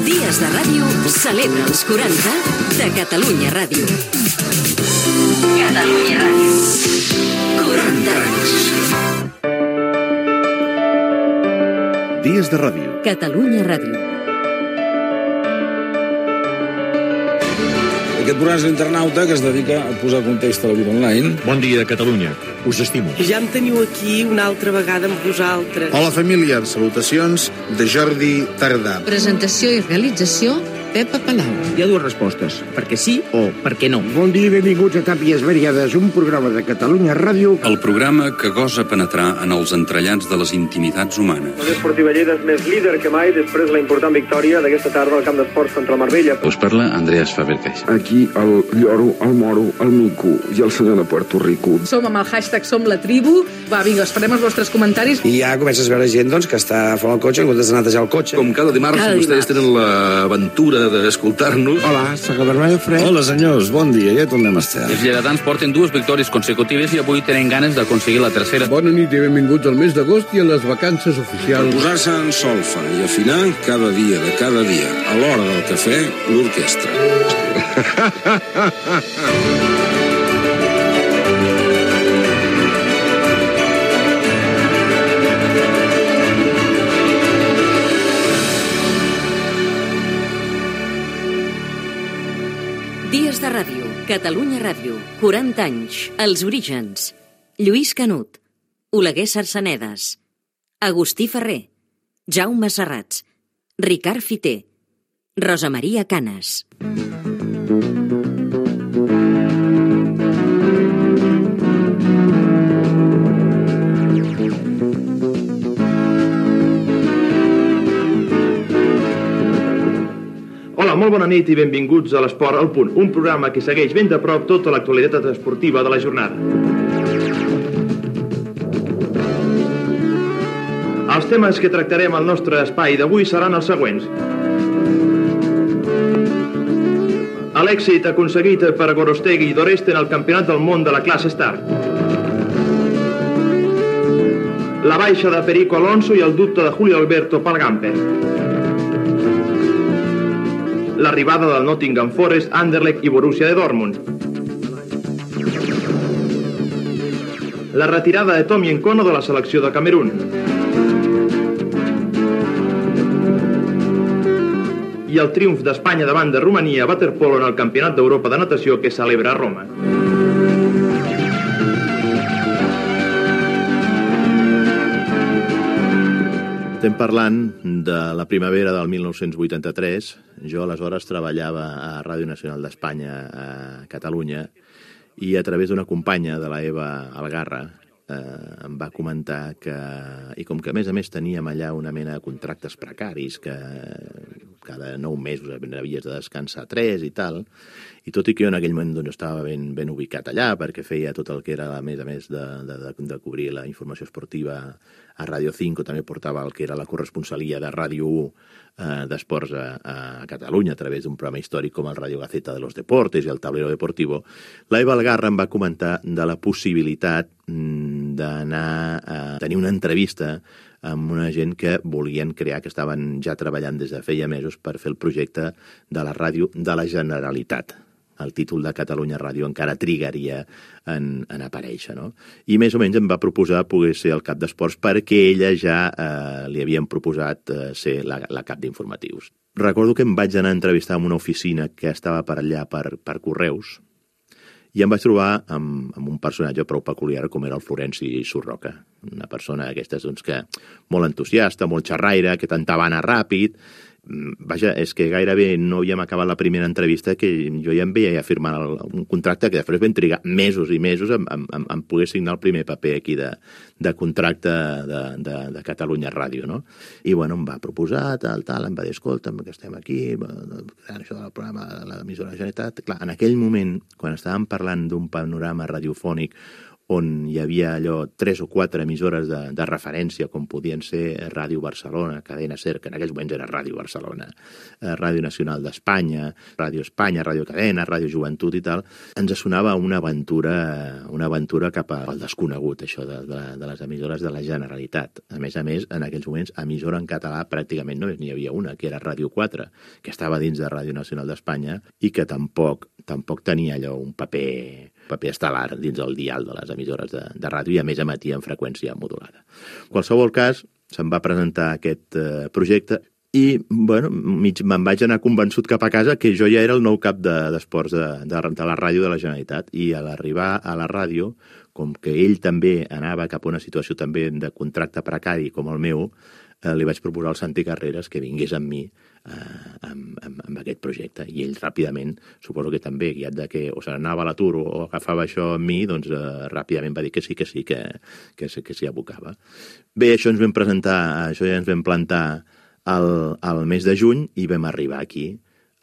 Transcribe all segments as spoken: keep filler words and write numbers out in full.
Dies de Ràdio celebra els quaranta de Catalunya Ràdio. Catalunya Ràdio. quaranta anys. Dies de Ràdio. Catalunya Ràdio. Aquest programa és l'Internauta, que es dedica a posar context a la vida online. Bon dia, Catalunya. Us estimo. Ja em teniu aquí una altra vegada amb vosaltres. Hola, família. Salutacions de Jordi Tardà. Presentació i realització, Pepa Palau. Hi ha dues respostes, perquè sí o perquè no. Bon dia i benvinguts a Tàpies Variades, un programa de Catalunya Ràdio. El programa que gosa penetrar en els entrellats de les intimitats humanes. L'Esportiva Lleida és més líder que mai després de la important victòria d'aquesta tarda al camp d'esports contra el Marbella. Us parla Andreas Fabercais. Aquí el lloro, el moro, el mico i el senyor de Puerto Rico. Som amb el hashtag Som la Tribu. Va, vinga, esperem els vostres comentaris. I ja comences a veure gent doncs, que està fora del cotxe en comptes de netejar el cotxe. Com cada dimarts, cada vostès dimarts. Tenen l'aventura d'escoltar-nos. Hola, soc el Bernardo Fred. Hola, senyors, bon dia, ja tornem a estar. Els lleidatans porten dues victòries consecutives i avui tenen ganes d'aconseguir la tercera. Bona nit i benvinguts al mes d'agost i a les vacances oficials. Per posar-se en solfa i afinar cada dia de cada dia, a l'hora del cafè, l'orquestra. Dies de Ràdio, Catalunya Ràdio, quaranta anys, els orígens. Lluís Canut, Oleguer Sarsanedes, Agustí Ferrer, Jaume Serrats, Ricard Fiter, Rosa Maria Canes. Hola, molt bona nit i benvinguts a l'Esport al Punt, un programa que segueix ben de prop tota l'actualitat esportiva de la jornada. Els temes que tractarem al nostre espai d'avui seran els següents. L'èxit aconseguit per Gorostegui i Doreste en el Campionat del Món de la classe Star. La baixa de Perico Alonso i el dubte de Julio Alberto pel Gamper. L'arribada del Nottingham Forest, Anderlecht i Borussia de Dortmund. La retirada de Tommy Nkono de la selecció de Camerún. I el triomf d'Espanya davant de Romania a waterpolo en el Campionat d'Europa de Natació que es celebra a Roma. Estem parlant de la primavera del mil nou-cents vuitanta-tres. Jo aleshores treballava a Ràdio Nacional d'Espanya a Catalunya i a través d'una companya de la Eva Algarra eh, em va comentar que, i com que a més a més teníem allà una mena de contractes precaris, que cada nou mesos havies de descansar tres i tal, i tot i que jo en aquell moment doncs, estava ben, ben ubicat allà perquè feia tot el que era, a més a més de, de, de, de cobrir la informació esportiva a Ràdio cinc, també portava el que era la corresponsalia de Ràdio u eh, d'esports a, a Catalunya a través d'un programa històric com el Radio Gaceta de los Deportes i el Tablero Deportivo. La Eva Algarra em va comentar de la possibilitat d'anar a tenir una entrevista amb una gent que volien crear, que estaven ja treballant des de feia mesos per fer el projecte de la ràdio de la Generalitat. El títol de Catalunya Ràdio encara trigaria en, en aparèixer, no? I més o menys em va proposar poder ser el cap d'esports perquè ella ja eh, li havien proposat eh, ser la, la cap d'informatius. Recordo que em vaig anar a entrevistar en una oficina que estava per allà per, per correus i em vaig trobar amb, amb un personatge prou peculiar com era el Florenci Surroca, una persona d'aquestes doncs, que molt entusiasta, molt xerraire, que tentava anar ràpid. Vaja, és que gairebé no havíem acabat la primera entrevista que jo ja em veia firmar el, un contracte que després vam trigar mesos i mesos en, en, en, en poder signar el primer paper aquí de, de contracte de, de, de Catalunya Ràdio, no? I bueno, em va proposar, tal, tal, em va dir, escolta'm, que estem aquí, això del programa de l'emissora de la Generalitat. Clar, en aquell moment, quan estàvem parlant d'un panorama radiofònic on hi havia allò tres o quatre emissores de, de referència, com podien ser Ràdio Barcelona, Cadena Ser, que en aquells moments era Ràdio Barcelona, eh, Ràdio Nacional d'Espanya, Ràdio Espanya, Ràdio Cadena, Ràdio Joventut i tal, ens sonava una aventura, una aventura cap al desconegut, això de, de, de les emissores de la Generalitat. A més a més, en aquells moments, emissora en català pràcticament només n'hi havia una, que era Ràdio quatre, que estava dins de Ràdio Nacional d'Espanya i que tampoc, tampoc tenia allò un paper, paper estel·lar dins del dial de les emissores de, de ràdio i a més emetia en freqüència modulada. En qualsevol cas, se'm va presentar aquest eh, projecte i, bueno, mig me'n vaig anar convençut cap a casa que jo ja era el nou cap d'esports de, de, de la ràdio de la Generalitat i a l'arribar a la ràdio, com que ell també anava cap a una situació també de contracte precari com el meu, eh, li vaig proposar al Santi Carreras que vingués amb mi eh, amb, amb, amb aquest projecte. I ell ràpidament, suposo que també, guiat de que o se n'anava a l'atur o agafava això amb mi, doncs eh, ràpidament va dir que sí, que sí, que, que, que s'hi abocava. Bé, això ens vam presentar, això ja ens vam plantar al, al mes de juny i vam arribar aquí,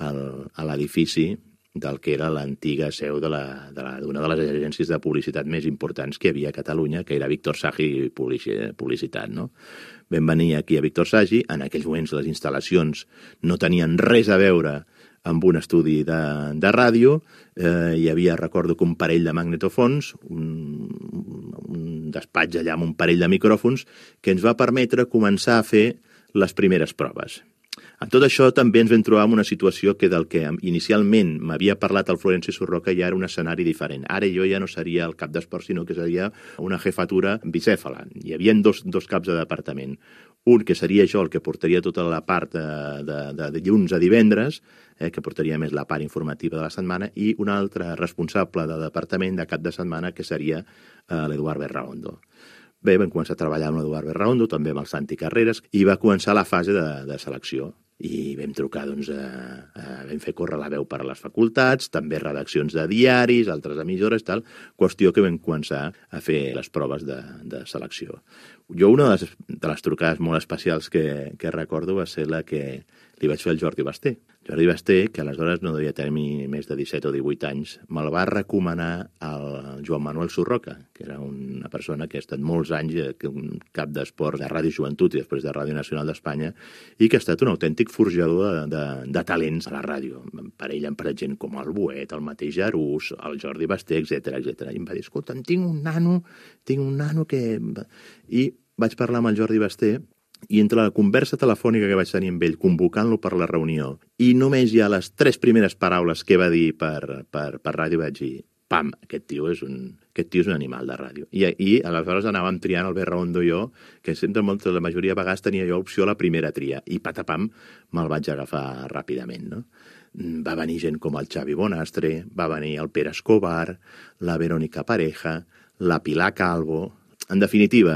al, a l'edifici del que era l'antiga seu d'una de la, de, de les agències de publicitat més importants que hi havia a Catalunya, que era Víctor Sagi Publicitat, no? Vam venir aquí a Víctor Sagi, en aquells moments les instal·lacions no tenien res a veure amb un estudi de, de ràdio, eh, hi havia, recordo que un parell de magnetofons, un, un despatx allà amb un parell de micròfons, que ens va permetre començar a fer les primeres proves. En tot això també ens vam trobar en una situació que del que inicialment m'havia parlat el Florenci Surroca ja era un escenari diferent. Ara jo ja no seria el cap d'esport, sinó que seria una jefatura bicèfala. Hi havia dos, dos caps de departament. Un que seria jo el que portaria tota la part de, de, de dilluns a divendres, eh, que portaria més la part informativa de la setmana, i un altre responsable de departament de cap de setmana que seria eh, l'Eduard Berraondo. Bé, vam començar a treballar amb l'Eduard Berraondo, també amb el Santi Carreras, i va començar la fase de, de selecció. I vam trucar, doncs, a, a, vam fer córrer la veu per a les facultats, també redaccions de diaris, altres emissores, tal, qüestió que vam començar a fer les proves de, de selecció. Jo una de les, de les trucades molt especials que, que recordo va ser la que li vaig fer al Jordi Basté. Jordi Basté, que aleshores no devia tenir més de disset o divuit anys, me'l va recomanar al Joan Manuel Surroca, que era una persona que ha estat molts anys un cap d'esports de Ràdio Joventut i després de Ràdio Nacional d'Espanya i que ha estat un autèntic forjador de, de, de talents a la ràdio. Per ell, per gent com el Buet, el mateix Arús, el Jordi Basté, etcètera, etcètera. I em va dir, escolta, tinc un nano, tinc un nano que... I vaig parlar amb el Jordi Basté i entre la conversa telefònica que vaig tenir amb ell, convocant-lo per la reunió, i només ja les tres primeres paraules que va dir per, per, per ràdio vaig dir, pam, aquest tio és un, aquest tio és un animal de ràdio. I, i aleshores anàvem triant el Berraondo i jo, que sempre, molta, la majoria de vegades tenia jo opció a la primera tria, i patapam, me'l vaig agafar ràpidament, no? Va venir gent com el Xavi Bonastre, va venir el Pere Escobar, la Verónica Pareja, la Pilar Calvo... En definitiva,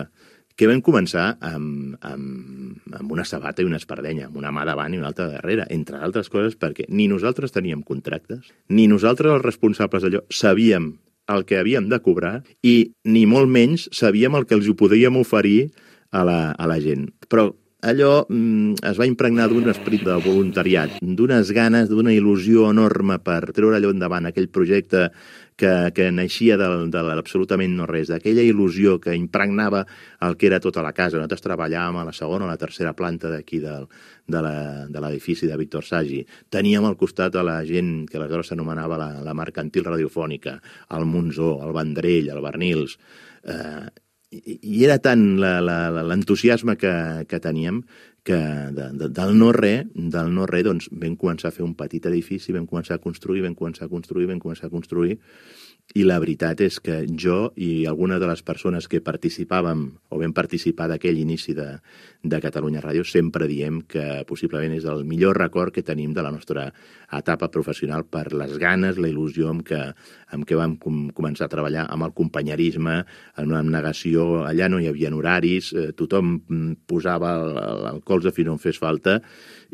que vam començar amb, amb, amb una sabata i una espardenya, amb una mà davant i una altra darrere, entre altres coses perquè ni nosaltres teníem contractes, ni nosaltres els responsables d'allò sabíem el que havíem de cobrar i ni molt menys sabíem el que els ho podíem oferir a la, a la gent. Però allò mm, es va impregnar d'un esperit de voluntariat, d'unes ganes, d'una il·lusió enorme per treure allò endavant, aquell projecte que, que naixia de, de l'absolutament no res, d'aquella il·lusió que impregnava el que era tota la casa. Nosaltres treballàvem a la segona o la tercera planta d'aquí del, de l'edifici de, de Víctor Sagi. Teníem al costat a la gent que aleshores s'anomenava la, la mercantil radiofònica, el Monzó, el Vendrell, el Bernils... Eh, i era tant l'entusiasme que, que teníem que de, de, del no-re, del no-re, doncs vam començar a fer un petit edifici, vam començar a construir, vam començar a construir, vam començar a construir, i la veritat és que jo i algunes de les persones que participàvem o vam participar d'aquell inici de, de Catalunya Ràdio sempre diem que possiblement és el millor record que tenim de la nostra etapa professional per les ganes, la il·lusió amb què, amb què vam com, començar a treballar, amb el companyerisme, en una abnegació. Allà no hi havia horaris, eh, tothom posava el, el colze fins on fes falta,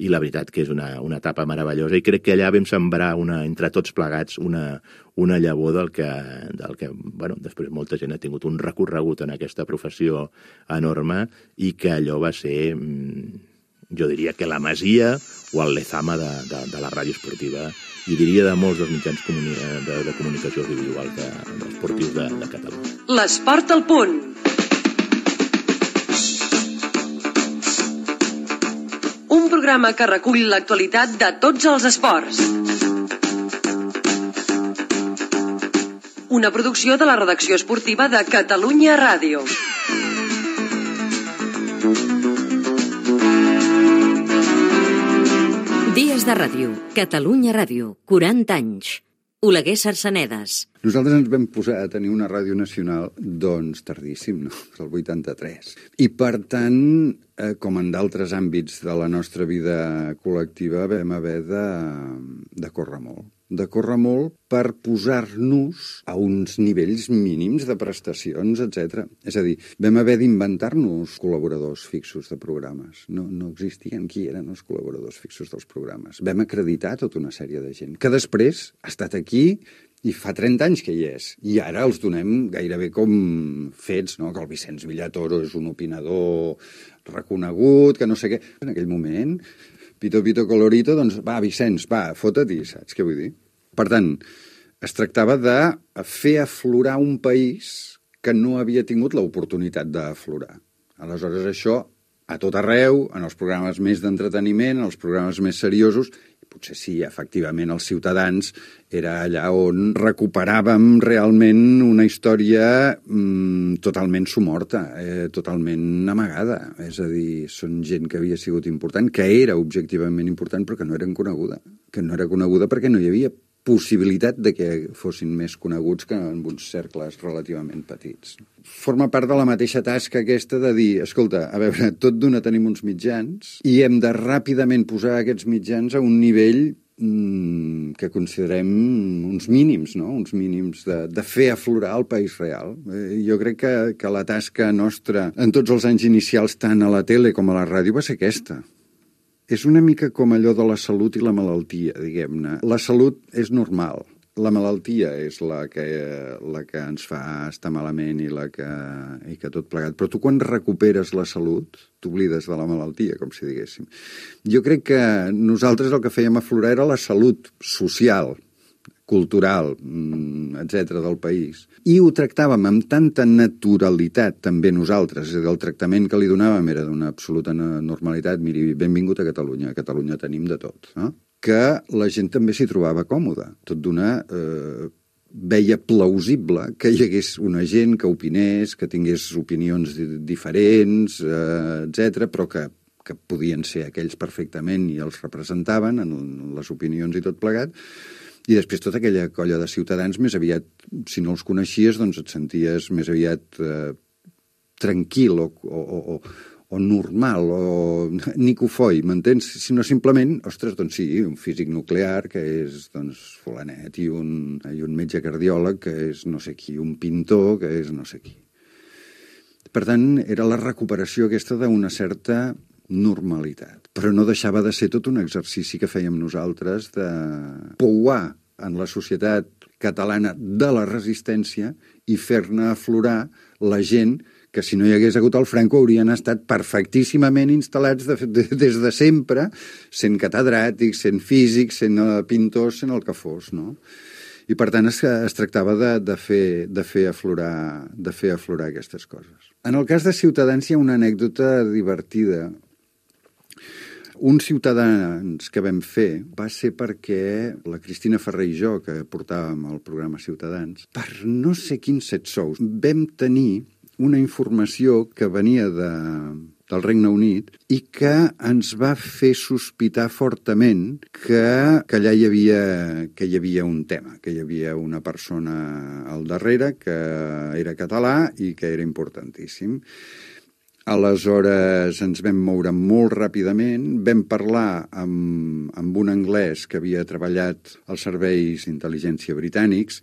i la veritat que és una, una etapa meravellosa, i crec que allà vam sembrar una, entre tots plegats una, una llavor del que, del que bueno, després molta gent ha tingut un recorregut en aquesta professió enorme i que allò va ser jo diria que la Masia o el Lezama de, de, de la ràdio esportiva, i diria de molts dels mitjans comuni de, de comunicació audiovisual de, de esportius de, de Catalunya. L'Esport al punt. Un programa que recull l'actualitat de tots els esports. Una producció de la redacció esportiva de Catalunya Ràdio. Dies de ràdio. Catalunya Ràdio. quaranta anys. Oleguer Sarsanedes. Nosaltres ens vam posar a tenir una ràdio nacional, doncs, tardíssim, no? El vuitanta-tres. I, per tant, eh, com en d'altres àmbits de la nostra vida col·lectiva, vam haver de, de córrer molt. De córrer molt per posar-nos a uns nivells mínims de prestacions, etcètera. És a dir, vam haver d'inventar-nos col·laboradors fixos de programes. No, no existien qui eren els col·laboradors fixos dels programes. Vam acreditar tota una sèrie de gent, que després ha estat aquí i fa trenta anys que hi és. I ara els donem gairebé com fets, no? Que el Vicenç Villatoro és un opinador reconegut, que no sé què. En aquell moment, pito, pito, colorito, doncs va, Vicenç, va, fota-t'hi, saps què vull dir? Per tant, es tractava de fer aflorar un país que no havia tingut l'oportunitat d'aflorar. Aleshores, això, a tot arreu, en els programes més d'entreteniment, en els programes més seriosos, potser sí, efectivament, els Ciutadans era allà on recuperàvem realment una història mmm, totalment somorta, eh, totalment amagada. És a dir, són gent que havia sigut important, que era objectivament important, però que no eren coneguda. Que no era coneguda perquè no hi havia possibilitat de que fossin més coneguts que en uns cercles relativament petits. Forma part de la mateixa tasca aquesta de dir, escolta, a veure, tot d'una tenim uns mitjans i hem de ràpidament posar aquests mitjans a un nivell mmm, que considerem uns mínims, no? Uns mínims de, de fer aflorar el país real. Eh, jo crec que, que la tasca nostra en tots els anys inicials, tant a la tele com a la ràdio, va ser aquesta. És una mica com allò de la salut i la malaltia, diguem-ne. La salut és normal, la malaltia és la que, la que ens fa estar malament i, la que, i que tot plegat. Però tu quan recuperes la salut, t'oblides de la malaltia, com si diguéssim. Jo crec que nosaltres el que fèiem aflorar era la salut social, cultural, etcètera, del país. I ho tractàvem amb tanta naturalitat, també nosaltres, és a dir, el tractament que li donàvem era d'una absoluta normalitat. Miri, benvingut a Catalunya, a Catalunya tenim de tot, no? Que la gent també s'hi trobava còmoda. Tot d'una eh, veia plausible que hi hagués una gent que opinés, que tingués opinions diferents, eh, etcètera, però que, que podien ser aquells perfectament i els representaven en les opinions i tot plegat. I després tota aquella colla de ciutadans, més aviat, si no els coneixies, doncs et senties més aviat eh, tranquil o, o, o, o normal, o nicofoi, m'entens? Sinó simplement, ostres, doncs sí, un físic nuclear, que és, doncs, fulanet, i un, i un metge cardiòleg, que és no sé qui, un pintor, que és no sé qui. Per tant, era la recuperació aquesta d'una certa normalitat. Però no deixava de ser tot un exercici que fèiem nosaltres de pouar en la societat catalana de la resistència i fer-ne aflorar la gent que si no hi hagués hagut el Franco haurien estat perfectíssimament instal·lats de, de, des de sempre, sent catedràtics, sent físics, sent pintors, sent el que fos, no? I per tant es, es tractava de, de, fer, de, fer aflorar, de fer aflorar aquestes coses. En el cas de Ciutadans hi ha una anècdota divertida. Un Ciutadans que vam fer va ser perquè la Cristina Ferrer i jo, que portàvem el programa Ciutadans, per no sé quins set sous, vam tenir una informació que venia de, del Regne Unit i que ens va fer sospitar fortament que, que allà hi havia, que hi havia un tema, que hi havia una persona al darrere que era català i que era importantíssim. Aleshores ens vam moure molt ràpidament, vam parlar amb, amb un anglès que havia treballat als serveis d'intel·ligència britànics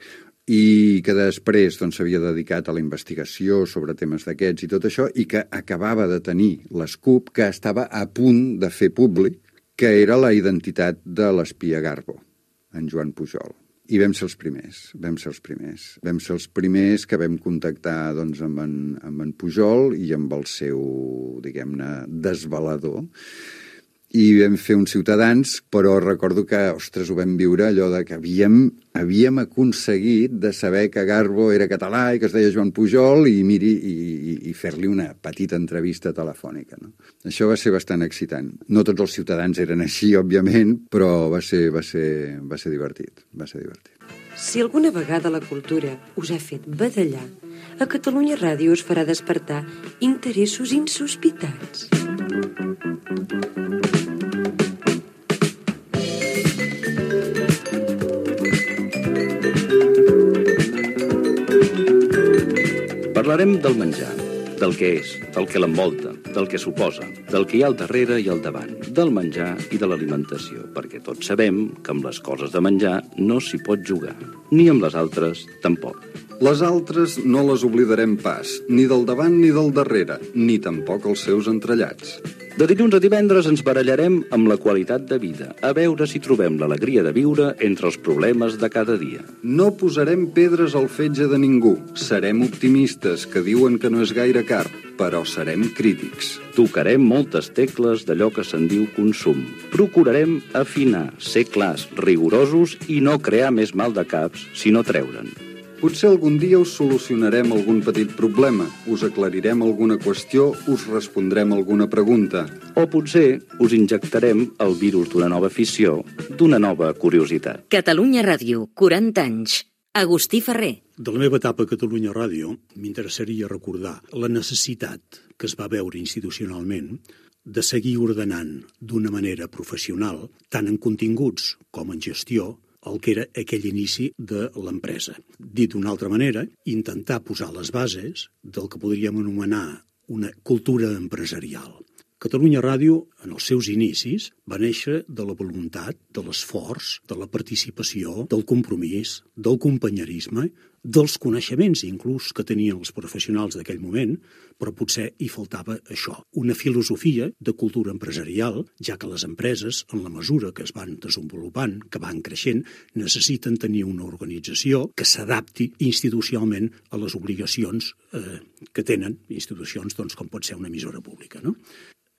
i que després doncs, s'havia dedicat a la investigació sobre temes d'aquests i tot això, i que acabava de tenir l'escup que estava a punt de fer públic, que era la identitat de l'espia Garbo, en Joan Pujol. I vam ser els primers, vam ser els primers. Vam ser els primers que vam contactar doncs, amb, en, amb en Pujol i amb el seu, diguem-ne, desvelador. i vam fer uns Ciutadans, però recordo que, ostres, ho vam viure allò de que havíem, havíem aconseguit de saber que Garbo era català i que es deia Joan Pujol i miri i, i, i fer-li una petita entrevista telefònica, no? Això va ser bastant excitant. No tots els Ciutadans eren així, òbviament, però va ser, va ser, va ser divertit, va ser divertit. Si alguna vegada la cultura us ha fet badallar, a Catalunya Ràdio us farà despertar interessos insospitats. Parlarem del menjar, del que és, del que l'envolta, del que suposa, del que hi ha al darrere i al davant, del menjar i de l'alimentació, perquè tots sabem que amb les coses de menjar no s'hi pot jugar, ni amb les altres tampoc. Les altres no les oblidarem pas, ni del davant ni del darrere, ni tampoc els seus entrellats. De dilluns a divendres ens barallarem amb la qualitat de vida, a veure si trobem l'alegria de viure entre els problemes de cada dia. No posarem pedres al fetge de ningú. Serem optimistes, que diuen que no és gaire car, però serem crítics. Tocarem moltes tecles d'allò que se'n diu consum. Procurarem afinar, ser clars, rigorosos i no crear més mal de caps, sinó treure'n. Potser algun dia us solucionarem algun petit problema, us aclarirem alguna qüestió, us respondrem alguna pregunta. O potser us injectarem el virus d'una nova afició, d'una nova curiositat. Catalunya Ràdio, quaranta anys. Agustí Ferrer. De la meva etapa a Catalunya Ràdio m'interessaria recordar la necessitat que es va veure institucionalment de seguir ordenant d'una manera professional, tant en continguts com en gestió, el que era aquell inici de l'empresa. Dit d'una altra manera, intentar posar les bases del que podríem anomenar una cultura empresarial. Catalunya Ràdio, en els seus inicis, va néixer de la voluntat, de l'esforç, de la participació, del compromís, del companyerisme, dels coneixements inclús que tenien els professionals d'aquell moment, però potser hi faltava això, una filosofia de cultura empresarial, ja que les empreses, en la mesura que es van desenvolupant, que van creixent, necessiten tenir una organització que s'adapti institucionalment a les obligacions eh, que tenen institucions doncs, com pot ser una emissora pública, no?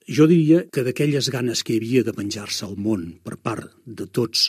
Jo diria que d'aquelles ganes que hi havia de penjar-se al món per part de tots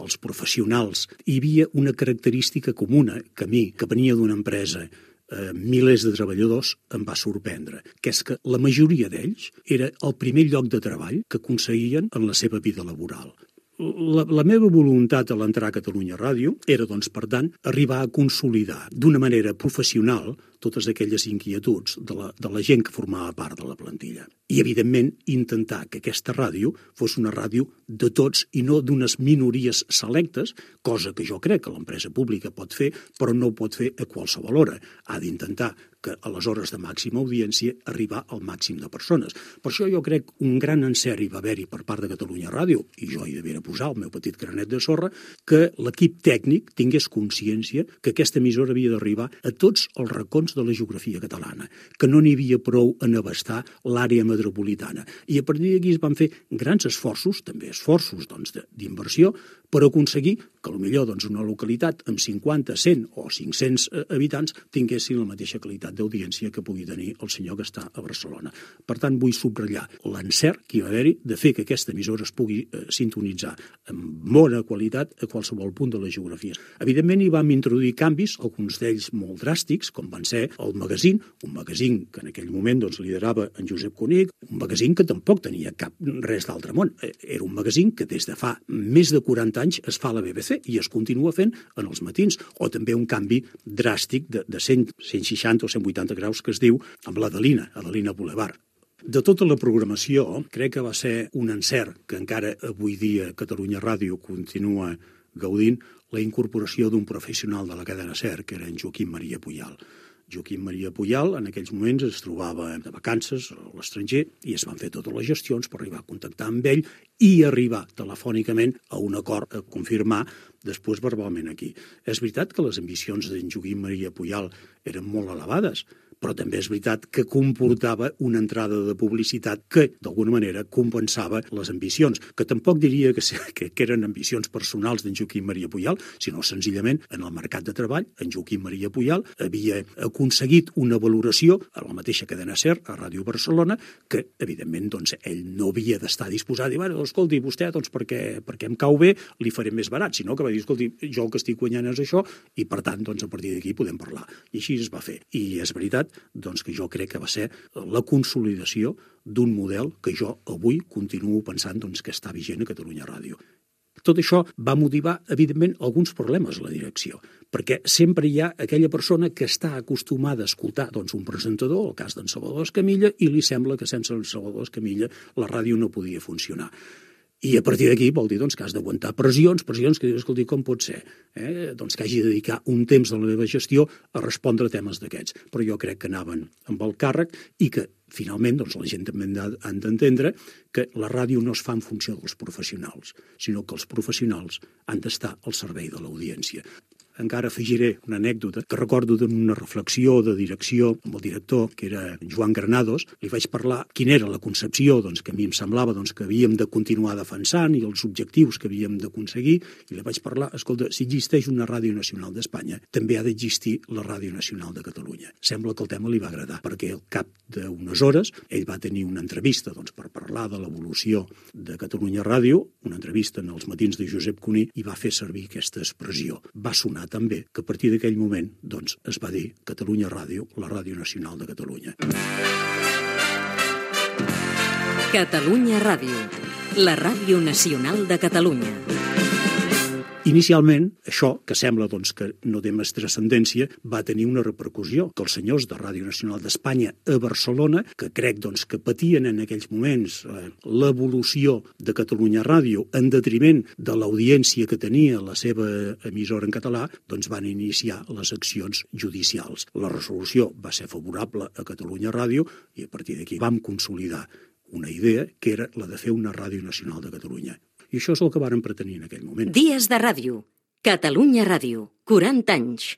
els professionals, hi havia una característica comuna que a mi, que venia d'una empresa, eh, milers de treballadors, em va sorprendre, que és que la majoria d'ells era el primer lloc de treball que aconseguien en la seva vida laboral. La, la meva voluntat a l'entrar a Catalunya Ràdio era, doncs, per tant, arribar a consolidar d'una manera professional totes aquelles inquietuds de la, de la gent que formava part de la plantilla. I, evidentment, intentar que aquesta ràdio fos una ràdio de tots i no d'unes minories selectes, cosa que jo crec que l'empresa pública pot fer, però no pot fer a qualsevol hora. Ha d'intentar que a les hores de màxima audiència arribar al màxim de persones. Per això jo crec un gran encert hi va haver-hi per part de Catalunya Ràdio, i jo hi devia posar el meu petit granet de sorra, que l'equip tècnic tingués consciència que aquesta emissora havia d'arribar a tots els racons de la geografia catalana, que no n'hi havia prou en abastar l'àrea metropolitana. I a partir d'aquí es van fer grans esforços, també esforços doncs, d'inversió, per aconseguir que potser doncs, una localitat amb cinquanta, cent o cinc-cents habitants tinguessin la mateixa qualitat d'audiència que pugui tenir el senyor que està a Barcelona. Per tant, vull subratllar l'encert que hi va haver-hi de fer que aquesta emissora es pugui eh, sintonitzar amb bona qualitat a qualsevol punt de la geografia. Evidentment, hi vam introduir canvis, alguns d'ells molt dràstics, com van ser el magazín, un magazín que en aquell moment doncs, liderava en Josep Conic, un magazín que tampoc tenia cap res d'altre món. Era un magazín que des de fa més de quaranta anys es fa a la B B C i es continua fent en els matins, o també un canvi dràstic de, de cent, cent seixanta o cent vuitanta graus que es diu amb l'Adelina, Adelina Boulevard. De tota la programació, crec que va ser un encert que encara avui dia Catalunya Ràdio continua gaudint la incorporació d'un professional de la cadena SER, que era en Joaquim Maria Puyal. Joaquim Maria Puyal en aquells moments es trobava de vacances a l'estranger i es van fer totes les gestions per arribar a contactar amb ell i arribar telefònicament a un acord a confirmar després verbalment aquí. És veritat que les ambicions d'en Joaquim Maria Puyal eren molt elevades, però també és veritat que comportava una entrada de publicitat que, d'alguna manera, compensava les ambicions, que tampoc diria que, que, que eren ambicions personals d'en Joaquim Maria Pujal, sinó senzillament en el mercat de treball, en Joaquim Maria Pujal havia aconseguit una valoració a la mateixa cadena SER, a Ràdio Barcelona, que, evidentment, doncs, ell no havia d'estar disposat a dir, bueno, escolti, vostè, doncs, perquè, perquè em cau bé, li faré més barat, sinó que va dir, escolti, jo el que estic guanyant és això, i, per tant, doncs, a partir d'aquí podem parlar. I així es va fer. I és veritat doncs, que jo crec que va ser la consolidació d'un model que jo avui continuo pensant doncs, que està vigent a Catalunya Ràdio. Tot això va motivar, evidentment, alguns problemes a la direcció, perquè sempre hi ha aquella persona que està acostumada a escoltar doncs, un presentador, el cas d'en Salvador Escamilla, i li sembla que sense en Salvador Escamilla la ràdio no podia funcionar. I a partir d'aquí vol dir doncs, que has d'aguantar pressions, pressions que dius, escolti, com pot ser? Eh? Doncs que hagi de dedicar un temps de la meva gestió a respondre a temes d'aquests. Però jo crec que anaven amb el càrrec i que, finalment, doncs, la gent també han d'entendre que la ràdio no es fa en funció dels professionals, sinó que els professionals han d'estar al servei de l'audiència. Encara afegiré una anècdota que recordo d'una reflexió de direcció amb el director, que era Joan Granados. Li vaig parlar quina era la concepció doncs, que a mi em semblava doncs, que havíem de continuar defensant i els objectius que havíem d'aconseguir. I li vaig parlar, escolta, si existeix una Ràdio Nacional d'Espanya, també ha d'existir la Ràdio Nacional de Catalunya. Sembla que el tema li va agradar, perquè al cap d'unes hores ell va tenir una entrevista doncs, per parlar de l'evolució de Catalunya Ràdio, una entrevista en els matins de Josep Cuní, i va fer servir aquesta expressió. Va sonar també que a partir d'aquell moment doncs, es va dir Catalunya Ràdio, la Ràdio Nacional de Catalunya. Catalunya Ràdio, la Ràdio Nacional de Catalunya. Inicialment, això, que sembla doncs, que no té més transcendència, va tenir una repercussió, que els senyors de Ràdio Nacional d'Espanya a Barcelona, que crec doncs, que patien en aquells moments eh, l'evolució de Catalunya Ràdio en detriment de l'audiència que tenia la seva emissora en català, doncs van iniciar les accions judicials. La resolució va ser favorable a Catalunya Ràdio i a partir d'aquí vam consolidar una idea que era la de fer una Ràdio Nacional de Catalunya. I això és el que vàrem pretenir en aquell moment. Dies de ràdio. Catalunya Ràdio. quaranta anys.